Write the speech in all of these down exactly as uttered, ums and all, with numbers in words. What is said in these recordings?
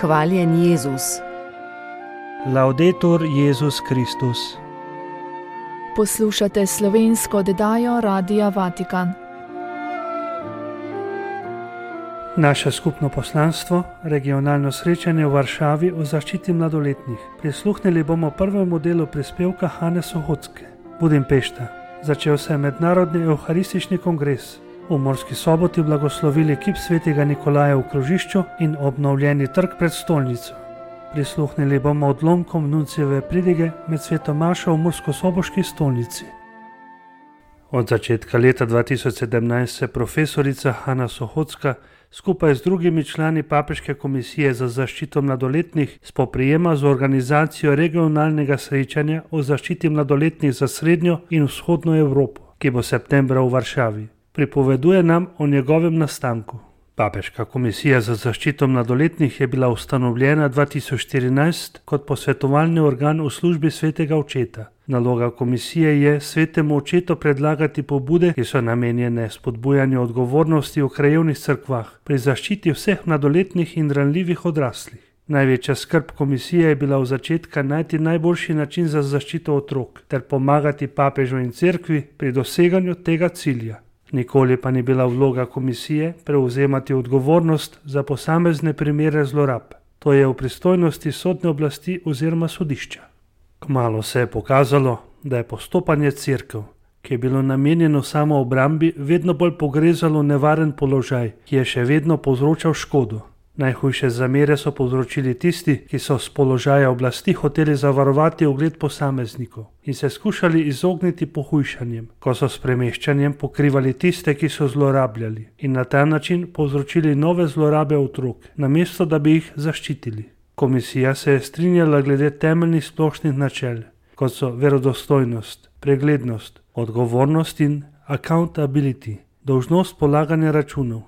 Hvaljen Jezus. Laudetur Jezus Kristus. Poslušate slovensko oddajo Radia Vatikan. Naše skupno poslanstvo, regionalno srečanje v Varšavi o zaščiti mladoletnih. Prisluhnili bomo prvemu delu prispevka Hane Sohocke. Budimpešta. Začel se je mednarodni evharistični kongres. V Murski Soboti blagoslovili kip svetega Nikolaja v krožišču in obnovljeni trg pred stolnico. Prisluhnili bomo odlomkom nuncijeve pridige med sveto mašo v murskosoboški stolnici. Od začetka leta dva tisoč sedemnajst se profesorica Hana Sohocka skupaj z drugimi člani Papeške komisije za zaščito mladoletnih spoprijema z organizacijo regionalnega srečanja o zaščiti mladoletnih za srednjo in vzhodno Evropo, ki bo septembra v Varšavi. Pripoveduje nam o njegovem nastanku. Papeška komisija za zaščito mladoletnih je bila ustanovljena dva tisoč štirinajst kot posvetovalni organ v službi svetega očeta. Naloga komisije je svetemu očetu predlagati pobude, ki so namenjene spodbujanju odgovornosti v krajevnih cerkvah pri zaščiti vseh mladoletnih in ranljivih odraslih. Največja skrb komisije je bila v začetka najti najboljši način za zaščito otrok ter pomagati papežu in cerkvi pri doseganju tega cilja. Nikoli pa ni bila vloga komisije prevzemati odgovornost za posamezne primere zlorab. To je v pristojnosti sodne oblasti oziroma sodišča. Kmalu se je pokazalo, da je postopanje cerkev, ki je bilo namenjeno samo obrambi, vedno bolj pogrezalo nevaren položaj, ki je še vedno povzročal škodo. Najhujše zamere so povzročili tisti, ki so s položaja oblasti hoteli zavarovati ugled posameznikov in se skušali izogniti pohujšanjem, ko so s premeščanjem pokrivali tiste, ki so zlorabljali in na ta način povzročili nove zlorabe otrok, namesto da bi jih zaščitili. Komisija se je strinjala glede temeljnih splošnih načel, kot so verodostojnost, preglednost, odgovornost in accountability, dolžnost polaganja računov.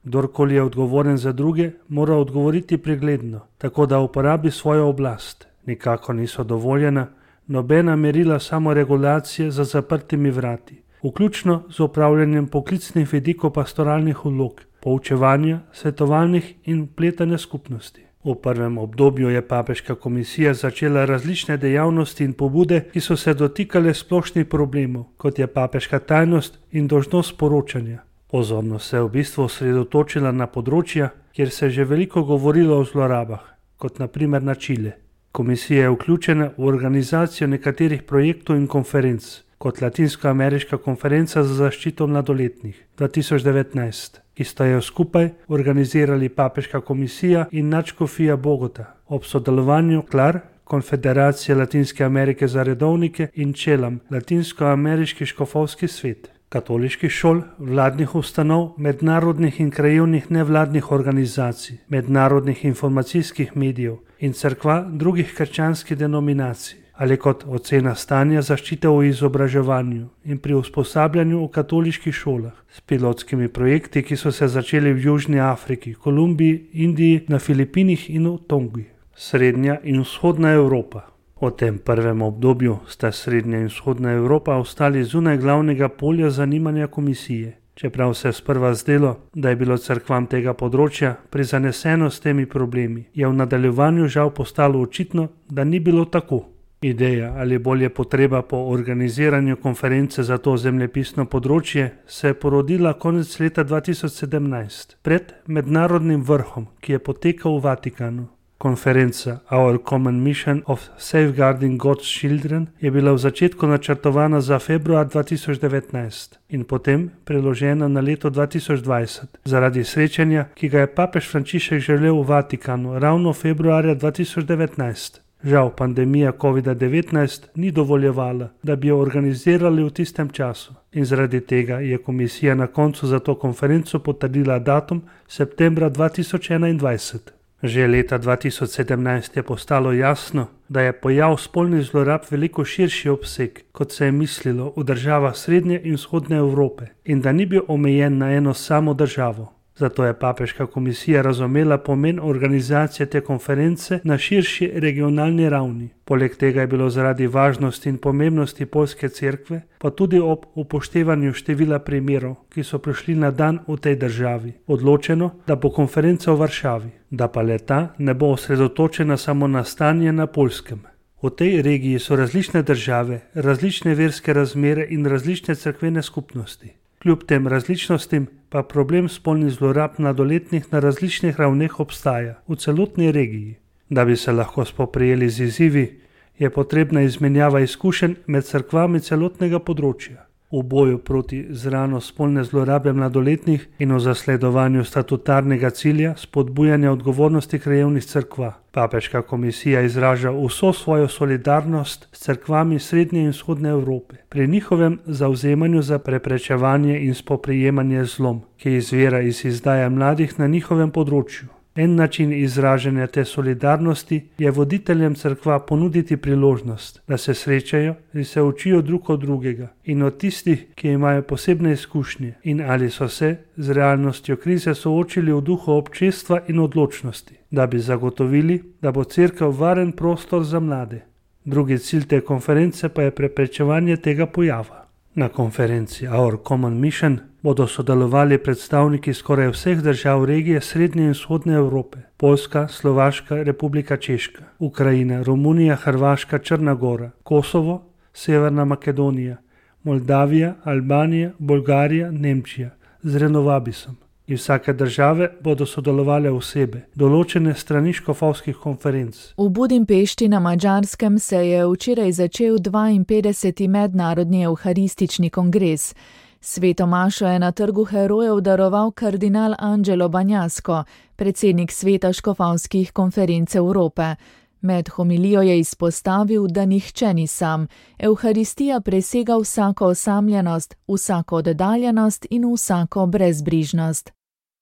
Kdorkoli je odgovoren za druge, mora odgovoriti pregledno, tako da uporabi svojo oblast. Nikako niso dovoljena nobena merila samoregulacije za zaprtimi vrati, vključno z upravljanjem poklicnih vidikov pastoralnih vlog, poučevanja, svetovalnih in vpletanja skupnosti. V prvem obdobju je Papeška komisija začela različne dejavnosti in pobude, ki so se dotikale splošnih problemov, kot je papeška tajnost in dolžnost poročanja. Pozornost se je v bistvu osredotočila na področja, kjer se je že veliko govorilo o zlorabah, kot na primer na Čile. Komisija je vključena v organizacijo nekaterih projektov in konferenc, kot Latinsko-ameriška konferenca za zaščito mladoletnih dva tisoč devetnajst, ki sta jo skupaj organizirali Papeška komisija in nadškofija Bogota, ob sodelovanju Klar, Konfederacije Latinske Amerike za redovnike in Čelam, Latinsko-ameriški škofovski svet. Katoliških šol, vladnih ustanov, mednarodnih in krajevnih nevladnih organizacij, mednarodnih informacijskih medijev in cerkva drugih krščanskih denominacij, ali kot ocena stanja zaščite v izobraževanju in pri usposabljanju v katoliških šolah, s pilotskimi projekti, ki so se začeli v Južni Afriki, Kolumbiji, Indiji, na Filipinih in v Tongi. Srednja in vzhodna Evropa. V tem prvem obdobju sta Srednja in vzhodna Evropa ostali zunaj glavnega polja zanimanja komisije. Čeprav se je sprva zdelo, da je bilo cerkvam tega področja prizaneseno s temi problemi, je v nadaljevanju žal postalo očitno, da ni bilo tako. Ideja ali bolje potreba po organiziranju konference za to zemljepisno področje se je porodila konec leta dva tisoč sedemnajst, pred mednarodnim vrhom, ki je potekal v Vatikanu. Konferenca Our Common Mission of Safeguarding God's Children je bila v začetku načrtovana za februar dva tisoč devetnajst in potem preložena na leto dva tisoč dvajset zaradi srečanja, ki ga je papež Frančišek želel v Vatikanu ravno februarja dva tisoč devetnajst. Žal pandemija covida devetnajst ni dovoljevala, da bi jo organizirali v tistem času in zaradi tega je komisija na koncu za to konferenco potrdila datum septembra dva tisoč enaindvajset. Že leta dva tisoč sedemnajst je postalo jasno, da je pojav spolnih zlorab veliko širši obseg, kot se je mislilo v državah Srednje in Vzhodne Evrope, in da ni bil omejen na eno samo državo. Zato je papeška komisija razumela pomen organizacije te konference na širši regionalni ravni. Poleg tega je bilo zaradi važnosti in pomembnosti poljske cerkve, pa tudi ob upoštevanju števila primerov, ki so prišli na dan v tej državi, odločeno, da bo konferenca v Varšavi, da pa le-ta ne bo osredotočena samo na stanje na Poljskem. V tej regiji so različne države, različne verske razmere in različne cerkvene skupnosti. Kljub tem različnostim pa problem spolnih zlorab mladoletnih na različnih ravneh obstaja v celotni regiji. Da bi se lahko spoprijeli z izzivi, je potrebna izmenjava izkušenj med cerkvami celotnega področja. V boju proti zrano spolne zlorabe mladoletnih in v zasledovanju statutarnega cilja spodbujanja odgovornosti krajevnih cerkva. Papeška komisija izraža vso svojo solidarnost s cerkvami Srednje in Vzhodne Evrope pri njihovem zavzemanju za preprečevanje in spoprijemanje z zlom, ki izvira iz izdaje mladih na njihovem področju. En način izražanja te solidarnosti je voditeljem cerkva ponuditi priložnost, da se srečajo in se učijo drug od drugega in od tistih, ki imajo posebne izkušnje in ali so se z realnostjo krize soočili v duhu občestva in odločnosti, da bi zagotovili, da bo cerkev varen prostor za mlade. Drugi cilj te konference pa je preprečevanje tega pojava. Na konferenci Our Common Mission bodo sodelovali predstavniki skoraj vseh držav regije Srednje in Vzhodne Evrope, Poljska, Slovaška, Republika Češka, Ukrajina, Romunija, Hrvaška, Črna Gora, Kosovo, Severna Makedonija, Moldavija, Albanija, Bolgarija, Nemčija z Renovabisom. Iz vsake države bodo sodelovale osebe, določene strani škofovskih konferenc. V Budimpešti na Madžarskem se je včeraj začel dvainpetdeseti mednarodni evharistični kongres. Sveto mašo je na Trgu herojev daroval kardinal Angelo Banjasko, predsednik sveta škofovskih konferenc Evrope. Med homilijo je izpostavil, da nihče ni sam. Evharistija presega vsako osamljenost, vsako oddaljenost in vsako brezbrižnost.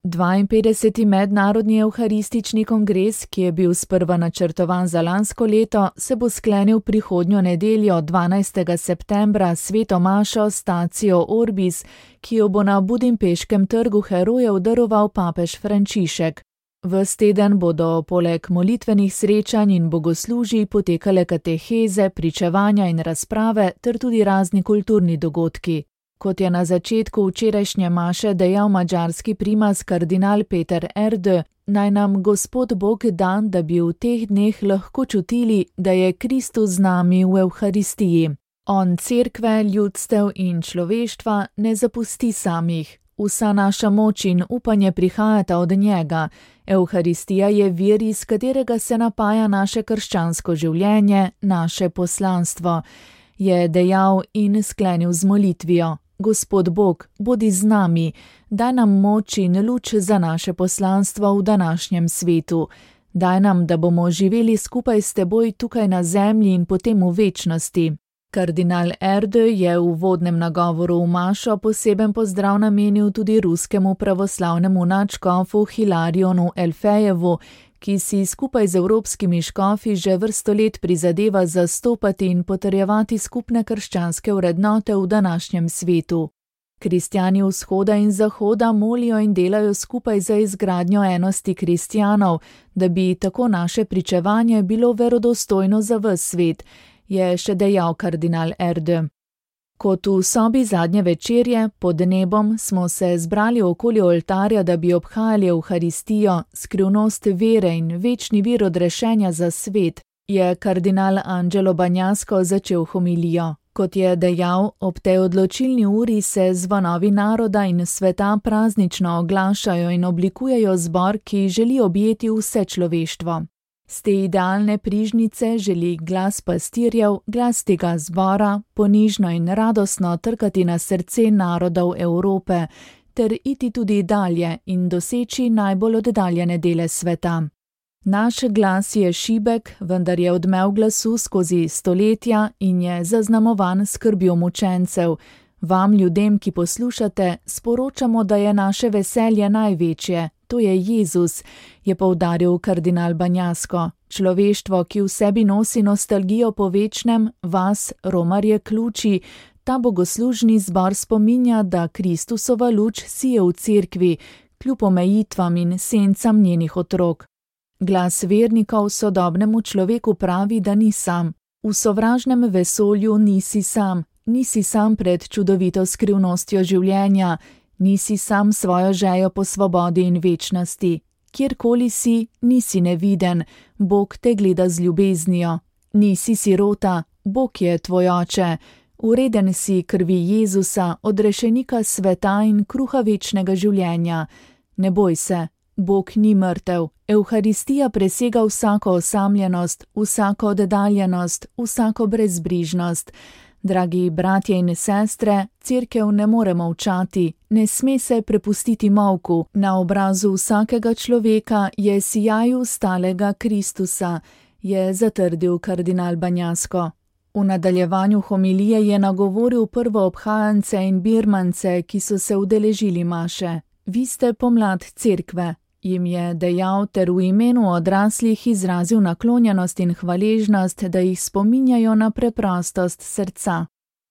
dvainpetdeseti mednarodni evharistični kongres, ki je bil sprva načrtovan za lansko leto, se bo sklenil prihodnjo nedeljo dvanajstega septembra sveto mašo Statio Orbis, ki jo bo na budimpeškem Trgu herojev daroval papež Frančišek. Ves teden bodo poleg molitvenih srečanj in bogoslužij potekale kateheze, pričevanja in razprave ter tudi razni kulturni dogodki. Kot je na začetku včerajšnje maše dejal madžarski primas kardinal Peter Erdő, naj nam Gospod Bog da, da bi v teh dneh lahko čutili, da je Kristus z nami v Evharistiji. On cerkve, ljudstev in človeštva ne zapusti samih. Vsa naša moč in upanje prihajata od njega. Evharistija je vir, iz katerega se napaja naše krščansko življenje, naše poslanstvo, je dejal in sklenil z molitvijo. Gospod Bog, bodi z nami, daj nam moč in luč za naše poslanstvo v današnjem svetu. Daj nam, da bomo živeli skupaj s teboj tukaj na zemlji in potem v večnosti. Kardinal Erdő je v uvodnem nagovoru v mašo poseben pozdrav namenil tudi ruskemu pravoslavnemu nadškofu Hilarionu Elfejevu, ki si skupaj z evropskimi škofi že vrsto let prizadeva zastopati in potrjevati skupne krščanske vrednote v današnjem svetu. Kristjani vzhoda in zahoda molijo in delajo skupaj za izgradnjo enosti kristjanov, da bi tako naše pričevanje bilo verodostojno za ves svet, je še dejal kardinal Erdő. Kot v sobi zadnje večerje pod nebom smo se zbrali okoli oltarja, da bi obhajali Evharistijo, skrivnost vere in večni vir odrešenja za svet, je kardinal Angelo Banjasko začel homilijo. Kot je dejal, ob tej odločilni uri se zvonovi naroda in sveta praznično oglašajo in oblikujejo zbor, ki želi objeti vse človeštvo. Z te idealne prižnice želi glas pastirjev, glas tega zbora, ponižno in radostno trkati na srce narodov Evrope, ter iti tudi dalje in doseči najbolj oddaljene dele sveta. Naš glas je šibek, vendar je odmev glasu skozi stoletja in je zaznamovan skrbjo mučencev. Vam, ljudem, ki poslušate, sporočamo, da je naše veselje največje. To je Jezus, je poudaril kardinal Banjasko. Človeštvo, ki v sebi nosi nostalgijo po večnem, vas, romarje, ključi, ta bogoslužni zbor spominja, da Kristusova luč sije v cerkvi, kljub omejitvam in sencam njenih otrok. Glas vernikov sodobnemu človeku pravi, da ni sam. V sovražnem vesolju nisi sam, nisi sam pred čudovito skrivnostjo življenja, nisi sam svojo žejo po svobodi in večnosti. Kjerkoli si, nisi neviden, Bog te gleda z ljubeznijo. Nisi sirota, Bog je tvoj oče. Ureden si krvi Jezusa, odrešenika sveta in kruha večnega življenja. Ne boj se, Bog ni mrtev. Evharistija presega vsako osamljenost, vsako oddaljenost, vsako brezbrižnost. Dragi bratje in sestre, cerkev ne more molčati, ne sme se prepustiti molku. Na obrazu vsakega človeka je sijaju stalega Kristusa, je zatrdil kardinal Banjasko. V nadaljevanju homilije je nagovoril prvoobhajance in birmance, ki so se udeležili maše. Vi ste pomlad cerkve, jim je dejal ter v imenu odraslih izrazil naklonjenost in hvaležnost, da jih spominjajo na preprostost srca.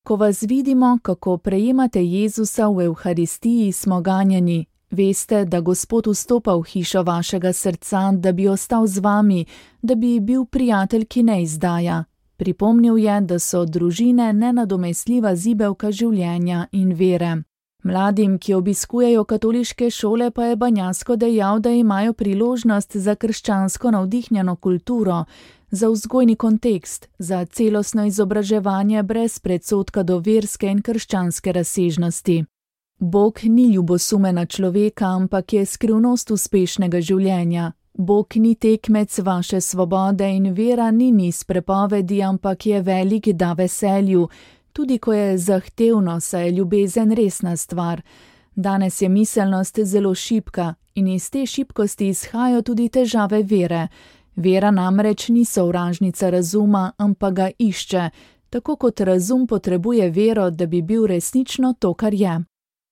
Ko vas vidimo, kako prejemate Jezusa v Evharistiji, smo ganjeni. Veste, da Gospod vstopa v hišo vašega srca, da bi ostal z vami, da bi bil prijatelj, ki ne izdaja. Pripomnil je, da so družine nenadomestljiva zibelka življenja in vere. Mladim, ki obiskujejo katoliške šole, pa je Banjasko dejal, da imajo priložnost za krščansko navdihnjeno kulturo, za vzgojni kontekst, za celostno izobraževanje brez predsodka do verske in krščanske razsežnosti. Bog ni ljubosumena človeka, ampak je skrivnost uspešnega življenja. Bog ni tekmec vaše svobode in vera ni niz prepovedi, ampak je velik da veselju, tudi ko je zahtevno, saj je ljubezen resna stvar. Danes je miselnost zelo šibka in iz te šibkosti izhajajo tudi težave vere. Vera namreč ni sovražnica razuma, ampak ga išče, tako kot razum potrebuje vero, da bi bil resnično to, kar je.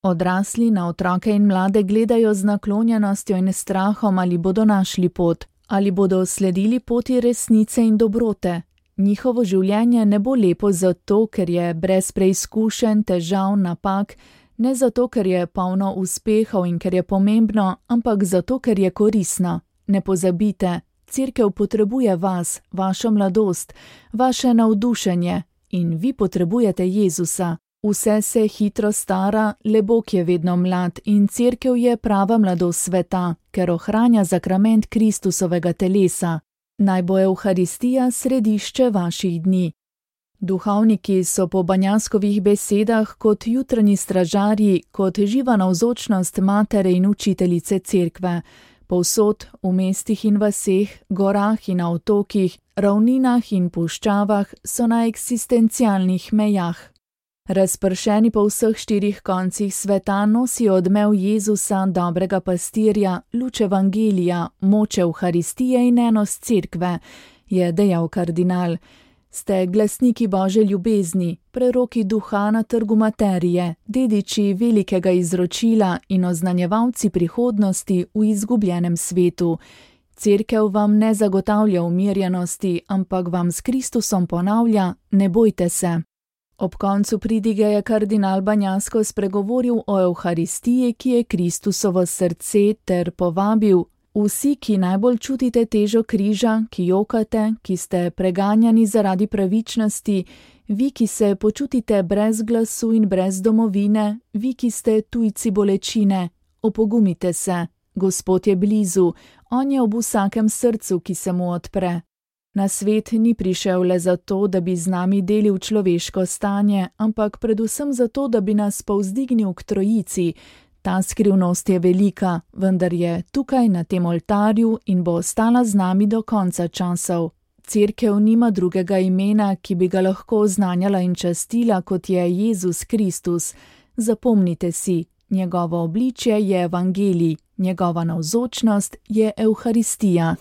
Odrasli na otroke in mlade gledajo z naklonjenostjo in strahom, ali bodo našli pot, ali bodo sledili poti resnice in dobrote. Njihovo življenje ne bo lepo zato, ker je brez preizkušenj, težav, napak, ne zato, ker je polno uspehov in ker je pomembno, ampak zato, ker je koristno. Ne pozabite, cerkev potrebuje vas, vašo mladost, vaše navdušenje in vi potrebujete Jezusa. Vse se hitro stara, le Bog je vedno mlad in cerkev je prava mladost sveta, ker ohranja zakrament Kristusovega telesa. Naj bo Evharistija središče vaših dni. Duhovniki so po Banjaskovih besedah kot jutranji stražarji, kot živa navzočnost matere in učiteljice cerkve. Povsod, v mestih in vaseh, gorah in na otokih, ravninah in puščavah so na eksistencialnih mejah. Razpršeni po vseh štirih koncih sveta nosijo odmev Jezusa, dobrega pastirja, luč evangelija, moč Evharistije in enost cerkve, je dejal kardinal. Ste glasniki Božje ljubezni, preroki duha na trgu materije, dediči velikega izročila in oznanjevalci prihodnosti v izgubljenem svetu. Cerkev vam ne zagotavlja umirjenosti, ampak vam s Kristusom ponavlja, ne bojte se. Ob koncu pridige je kardinal Banjasko spregovoril o Evharistiji, ki je Kristusovo srce, ter povabil: vsi, ki najbolj čutite težo križa, ki jokate, ki ste preganjani zaradi pravičnosti, vi, ki se počutite brez glasu in brez domovine, vi, ki ste tujci bolečine, opogumite se, Gospod je blizu, on je ob vsakem srcu, ki se mu odpre. Na svet ni prišel le zato, da bi z nami delil človeško stanje, ampak predvsem zato, da bi nas povzdignil k trojici. Ta skrivnost je velika, vendar je tukaj na tem oltarju in bo ostala z nami do konca časov. Cerkev nima drugega imena, ki bi ga lahko oznanjala in častila, kot je Jezus Kristus. Zapomnite si, njegovo obličje je evangelij, njegova navzočnost je Evharistija.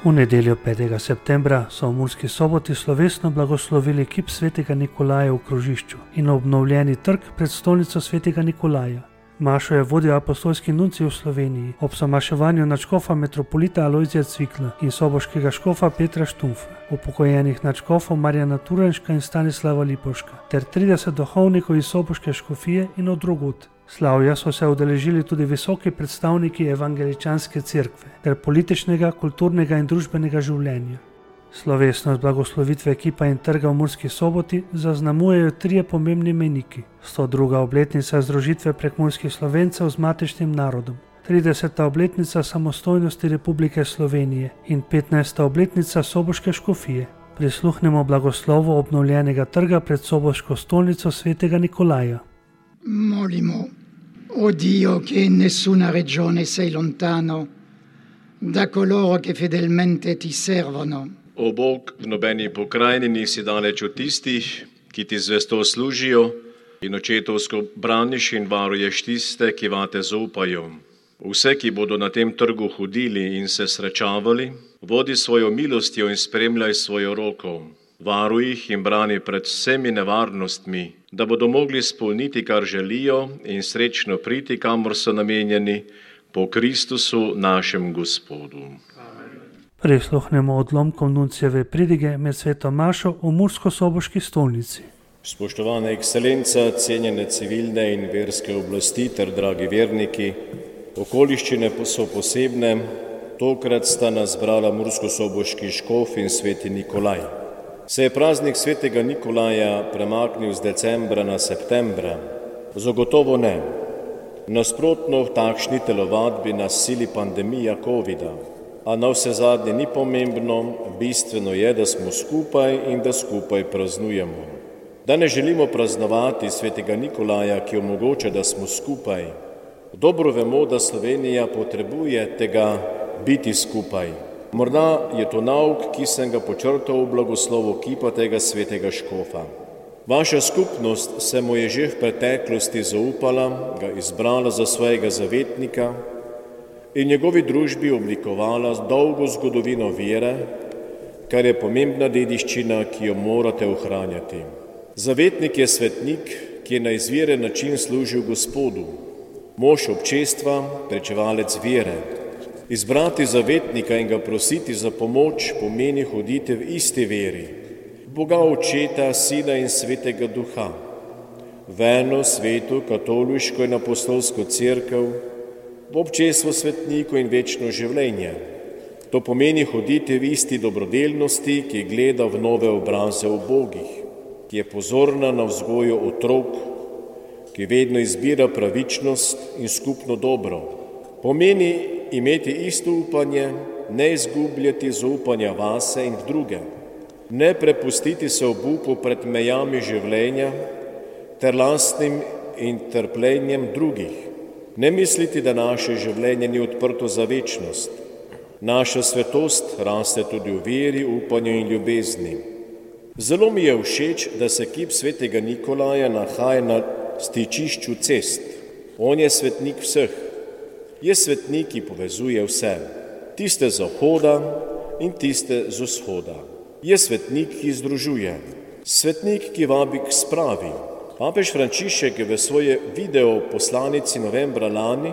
V nedeljo petega septembra so v Murski Soboti slovesno blagoslovili kip svetega Nikolaja v krožišču in obnovljeni trg pred stolnico svetega Nikolaja. Mašo je vodil apostolski nuncij v Sloveniji ob zamaševanju nadškofa metropolita Alojzija Cvikla in soboškega škofa Petra Štumfa, upokojenih nadškofov Marjana Turenška in Stanislava Lipovška ter trideset duhovnikov iz soboške škofije in od drugod. Slavja so se udeležili tudi visoki predstavniki evangeličanske cerkve ter političnega, kulturnega in družbenega življenja. Slovesnost blagoslovitve kipa in trga v Murski Soboti zaznamujejo trije pomembni mejniki: sto druga obletnica združitve prekmurskih Slovencev z matičnim narodom, trideseta obletnica samostojnosti Republike Slovenije in petnajsta obletnica soboške škofije. Prisluhnemo blagoslovu obnovljenega trga pred soboško stolnico svetega Nikolaja. Molimo, o Dio che in nessuna regione sei lontano da coloro che fedelmente ti servono. O Bog, v nobeni pokrajini nisi daleč od tistih, ki ti zvesto služijo in očetovsko braniš in varuješ tiste, ki vate zaupajo. Vse, ki bodo na tem trgu hodili in se srečavali, vodi svojo milostjo in spremljaj svojo roko. Varuj jih in brani pred vsemi nevarnostmi, da bodo mogli spolniti, kar želijo in srečno priti, kamor so namenjeni, po Kristusu našem Gospodu. Prisluhnemo odlomkom nuncijeve pridige med sveto mašo v Mursko-Soboški stolnici. Spoštovana ekscelenca, cenjene civilne in verske oblasti ter dragi verniki, okoliščine so posebne, tokrat sta nas zbrala Mursko-Soboški škof in sveti Nikolaj. Se je praznik svetega Nikolaja premaknil z decembra na septembra? Zagotovo ne. Nasprotno, v takšni telovadbi nas sili pandemija covida, a na vse zadnje ni pomembno, bistveno je, da smo skupaj in da skupaj praznujemo. Da ne želimo praznovati svetega Nikolaja, ki omogoča, da smo skupaj. Dobro vemo, da Slovenija potrebuje tega biti skupaj. Morda je to nauk, ki sem ga počrtal v blagoslovu kipa tega svetega škofa. Vaša skupnost se mu je že v preteklosti zaupala, ga izbrala za svojega zavetnika in njegovi družbi oblikovala dolgo zgodovino vere, kar je pomembna dediščina, ki jo morate ohranjati. Zavetnik je svetnik, ki je na izviren način služil Gospodu, mož občestva, pričevalec vere. Izbrati zavetnika in ga prositi za pomoč pomeni hoditi v isti veri, Boga Očeta, Sina in Svetega Duha, v eno sveto, katoliško in apostolsko cerkev, v občestvo svetnikov in večno življenje. To pomeni hoditi v isti dobrodelnosti, ki gleda v nove obraze ubogih, ki je pozorna na vzgojo otrok, ki vedno izbira pravičnost in skupno dobro. Pomeni imeti isto upanje, ne izgubljati zaupanja vase in v druge, ne prepustiti se obupu pred mejami življenja ter lastnim in trpljenjem drugih, ne misliti, da naše življenje ni odprto za večnost. Naša svetost raste tudi v veri, upanju in ljubezni. Zelo mi je všeč, da se kip svetega Nikolaja nahaja na stičišču cest. On je svetnik vseh. Je svetnik, ki povezuje vse, tiste z zahoda in tiste z vzhoda. Je svetnik, ki združuje, svetnik, ki vabi k spravi. Papež Frančišek je v svoje video poslanici novembra lani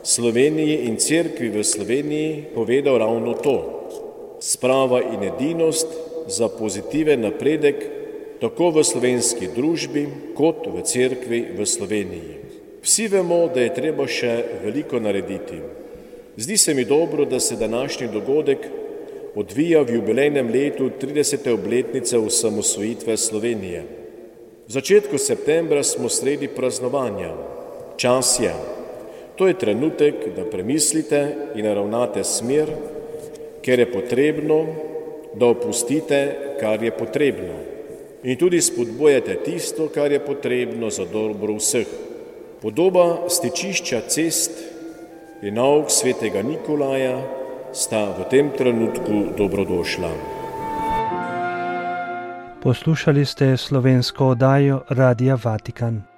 Sloveniji in cerkvi v Sloveniji povedal ravno to. Sprava in edinost za pozitiven napredek tako v slovenski družbi kot v cerkvi v Sloveniji. Vsi vemo, da je treba še veliko narediti. Zdi se mi dobro, da se današnji dogodek odvija v jubilejnem letu tridesete obletnice osamosvojitve Slovenije. V začetku septembra smo sredi praznovanja. Čas je. To je trenutek, da premislite in naravnate smer, ker je potrebno, da opustite, kar je potrebno. In tudi spodbujate tisto, kar je potrebno za dobro vseh. Podoba stičišča cest in nauk svetega Nikolaja sta v tem trenutku dobrodošla. Poslušali ste slovensko oddajo Radia Vatikan.